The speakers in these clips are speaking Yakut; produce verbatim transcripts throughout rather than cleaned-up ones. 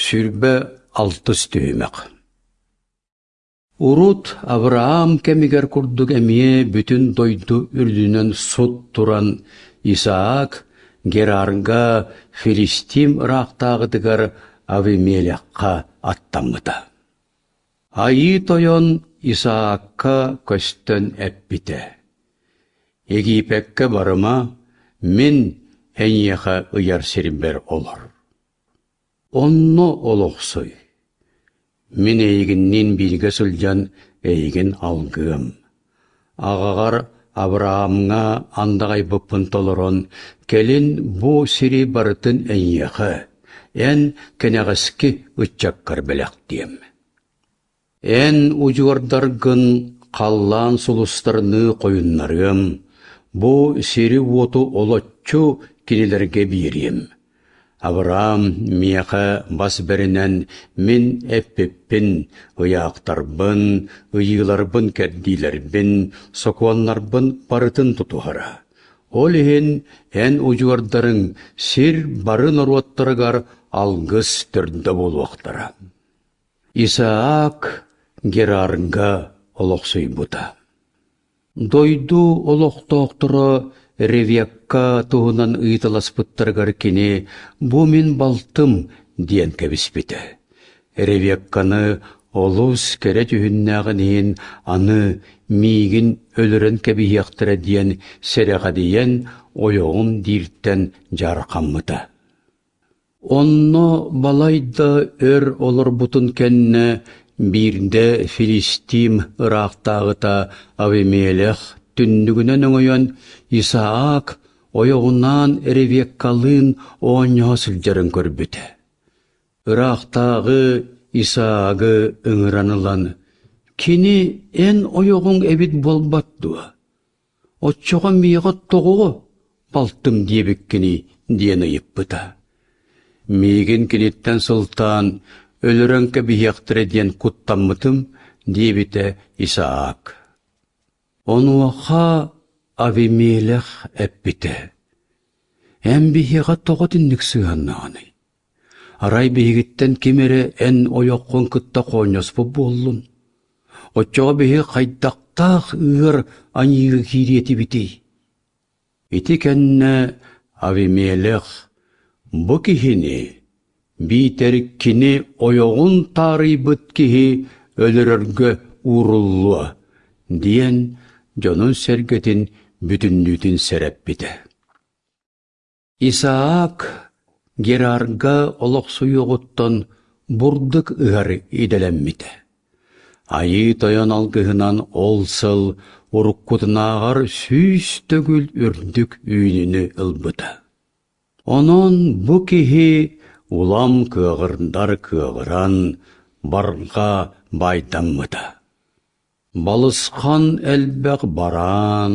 Сүүрбэ алтыс түһүмэх. Урут Авраам кэмигэр курдук эмиэ бүтүн дойду үрдүнэн сут туран Исаак Герарга Филистим ыраахтааҕытыгар Авимелехха аттаммыта. Айыы Тойон Исаакка көстөн эппитэ: «Египеккэ барыма, мин эйиэхэ ыйар сирбэр олор. Онно олохсуй. Мин эйигинниин бииргэ сылдьан эйигин алгыам. Аҕаҕар Авраамҥа андаҕайбыппын толорон, кэлин бу сири барытын эйиэхэ, эн кэнэҕэски ыччаккар бэлэхтиэм. Эн удьуордаргын халлаан сулустарыныы хойуннарыам, бу сири-уоту олоччу кинилэргэ биэриэм. Авраам миэхэ бас бэринэн мин эппиппин, ыйаахтарбын, ыйыыларбын кэрдиилэрбин, сокуоннарбын барытын тутуһара. Ол иһин эн удьуордарыҥ сир бары норуоттарыгар алгыс төрдө буолуохтара». Исаак Герарга олохсуйбута. Дойду олохтоохторо Ревекка туһунан ыйыталаспыттарыгар кини «Бу мин балтым» диэн кэбиспитэ. Ревекканы олус кэрэ дьүһүннээҕин иһин аны миигин өлөрөн кэбиһиэхтэрэ диэн сэрэхэдийэн ойоҕум дииртэн дьаархаммыта. Онно балайда өр олорбутун кэннэ биирдэ Филистим ыраахтааҕыта Авимелех түннүгүнэн өҥөйөн Исаак ойоҕунаан Ревеккалыын оонньоһо сылдьарын көрбүтэ. Ыраахтааҕы Исаагы ыҥыран ылан, «Кини эн ойоҕуҥ эбит буолбат дуо? Оччоҕо миэхэ тоҕо балтым диэбиккиний?» диэн ыйыппыта. «Миигин киниттэн сылтаан өлөрөн кэбиһиэхтэрэ диэн куттаммытым», диэбитэ Исаак. Онуоха Авимелех эппитэ: «Эн биһиэхэ тоҕо итинник сыһыаннаҕыный? Арай биһигиттэн ким эрэ эн ойоххун кытта хоонньоспут буоллун? Оччоҕо биһиги хайдахтаах ыар аньыыга киириэ этибитий?» Ити кэннэ Авимелех бу киһини биитэр кини ойоҕун таарыйбыт киһи өлөрөргө ууруллуо диэн дьонун-сэргэтин бүтүннүүтүн сэрэппитэ. Исаак Герарга олохсуйуоҕуттан бурдук ыһар идэлэммитэ. Айыы Тойон алгыһынан ол сыл уруккутунааҕар сүүс төгүл үрдүк үүнүүнү ылбыта. Онон бу киһи улам кыаҕырдар кыаҕыран, барҕа баайдаммыта. Балысхан элбэх бараан,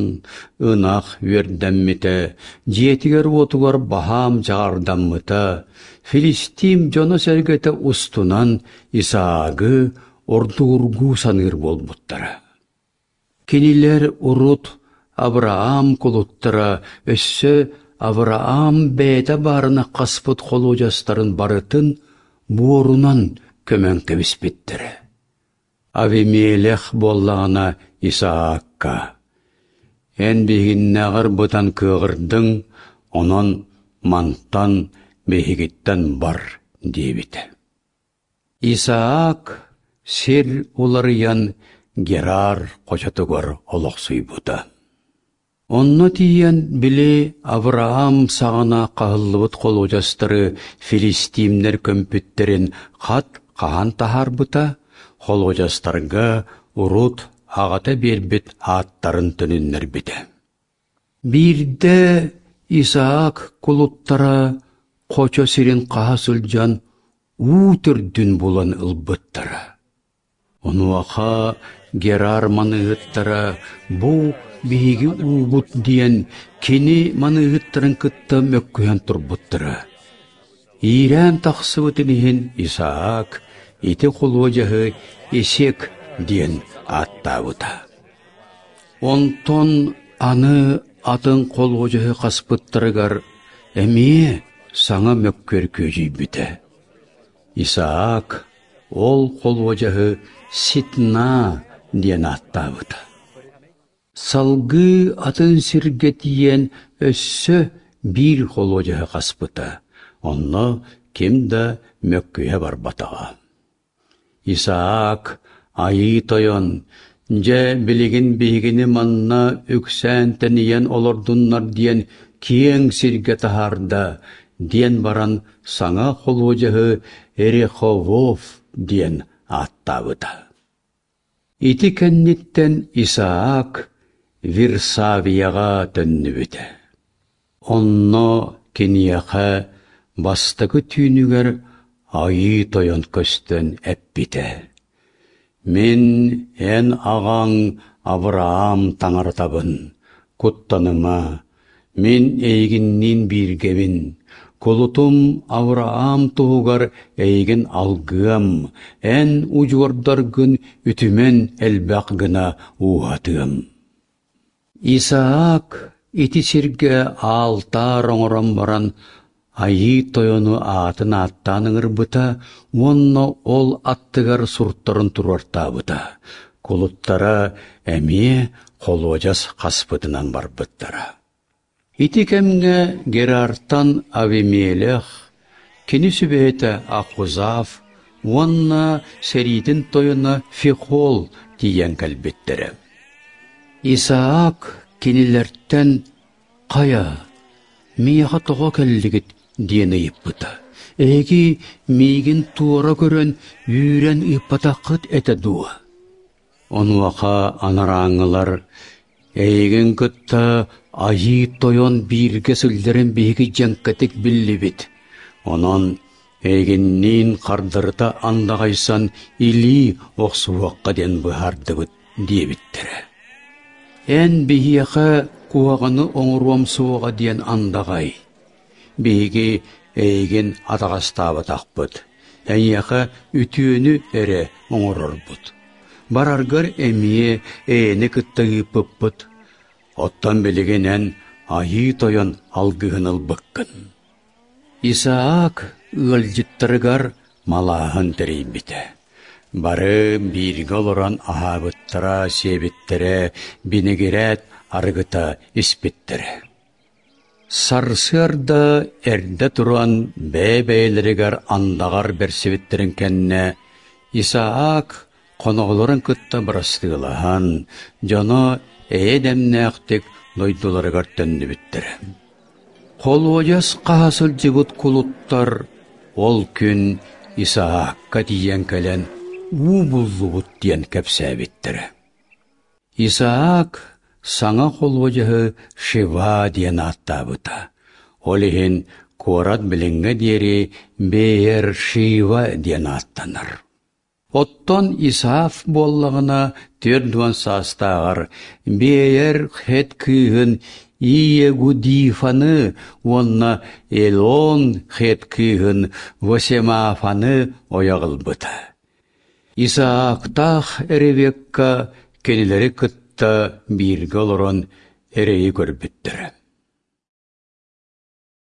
ынах үөрдэммитэ, дьиэтигэр-уотугар баһаам дьаҕардаммыта, Филистим дьоно-сэргэтэ устунан Исаагы ордугургуу саныыр буолбуттара. Кинилэр урут Авраам кулуттара өссө Авраам бэйэтэ баарына хаспыт холуодьастарын барытын буорунан көмөн кэбиспиттэрэ. Авимелех буоллаҕына Исаакка: «Эн биһигиннээҕэр бытан кыаҕырдыҥ, онон мантан биһигиттэн бар» диэбитэ. Исаак сир уларыйан Герар хочотугар олохсуйбута. Онно тиийэн били Авраам саҕана хаһыллыбыт холуодьастары филистимнэр көмпүттэрин хат хаһан таһаарбыта, холуодьастарга урут аҕата биэрбит ааттарын төнүннэрбитэ. Биирдэ Исаак кулуттара хочо сирин хаһа сылдьан уу төрдүн булан ылбыттара. Онуоха Герар маныыһыттара бу биһиги уубут диэн кини маныыһыттарын кытта мөккүһэн турбуттара. Иирээн тахсыбытын иһин Исаак ити холуодьаһы Исек диэн ааттаабыта. Онтон аны атын холуодьаһы хаспыттарыгар эмиэ саҥа мөккүөр күөдьүйбүтэ. Исаак ол холуодьаһы Ситна диэн ааттаабыта. Салгыы атын сиргэ тиийэн өссө биир холуодьаһы хаспыта, онно ким да мөккүһэ барбатаҕа. Исаак Айыы Тойон, дьэ билигин биһигини манна үксээн тэнийэн олордуннар диэн киэҥ сиргэ таһаарда, диэн баран саҥа холуодьаһы Реховов диэн ааттаабыта. Ити кэнниттэн Исаак Вирсавияҕа төннүбүтэ. Онно киниэхэ бастакы түүнүгэр Айыы Тойон көстөн эппитэ: «Мин эн аҕаҥ Авраам таҥаратабын, куттаныма, мин эйигинниин бииргэбин, кулутум Авраам туһугар эйигин алгыам, эн удьуордаргын үтүмэн элбэх гына ууһатыам». Исаак ити сиргэ аалтаар оҥорон баран Айыы Тойону аатын ааттаан ыҥырбыта уонна ол аттыгар суртарын туруортаабыта, кулуттара эмиэ холуодьас хаспытынан барбыттара. Ити кэмҥэ Герартан Авимелех, кини сүбэһитэ Ахузав уонна сэриитин тойоно Фихол тиийэн кэлбиттэрэ. Исаак кинилэртэн «Хайа, миэхэ тоҕо кэллигит?» диэн ыйыппыта. «Эһиги миигин туора көрөн үүрэн ыыппатаххыт этэ дуо?» Онуоха анарааҥҥылар «Эйигин кытта Айыы Тойон бииргэ сылдьарын биһиги дьэҥкэтик биллибит. Онон эйигинниин хардарыта андаҕайсан илии охсуһуохха диэн быһаардыбыт» диэбиттэрэ. «Эн биһиэхэ куһаҕаны оҥоруом суоҕа диэн андаҕай. Биһиги эйигин атаҕастаабатахпыт, эйиэхэ үтүөнү эрэ оҥорорбут. Бараргар эмиэ эйэни кытта ыыппыппыт. Оттон билигин эн Айыы Тойон алгыһын ылбыккын». Исаак ыалдьыттарыгар малааһын тэрийбитэ. Бары бииргэ олорон аһаабыттара, сиэбиттэрэ, бинигирээт арыгыта испиттэрэ. Сарсыарда эрдэ туран бэйэ-бэйэлэригэр андаҕар бэрсибиттэрин кэннэ Исаак хоноһолорун кытта бырастыылаһан, дьоно эйэ-дэмнээхтик дойдуларыгар төннүбүттэрэ. Холуодьас хаһа сылдьыбыт кулуттар ол күн Исаакка тиийэн кэлэн уу буллубут диэн кэпсээбиттэрэ. Исаак саҥа холуодьаһы Шева диэн ааттаабыта. Ол иһин куорат билиҥҥэ диэри Беер-Шива диэн ааттанар. Оттон Исаав буоллаҕына түөрт уон саастааҕар Беер Хет кыыһын Иегудифаны уонна Элон Хет кыыһын Восемафаны ойох ылбыта. Исаактаах Ревекка кинилэри кытта бииргэ олорон эрэйи көрбүттэрэ.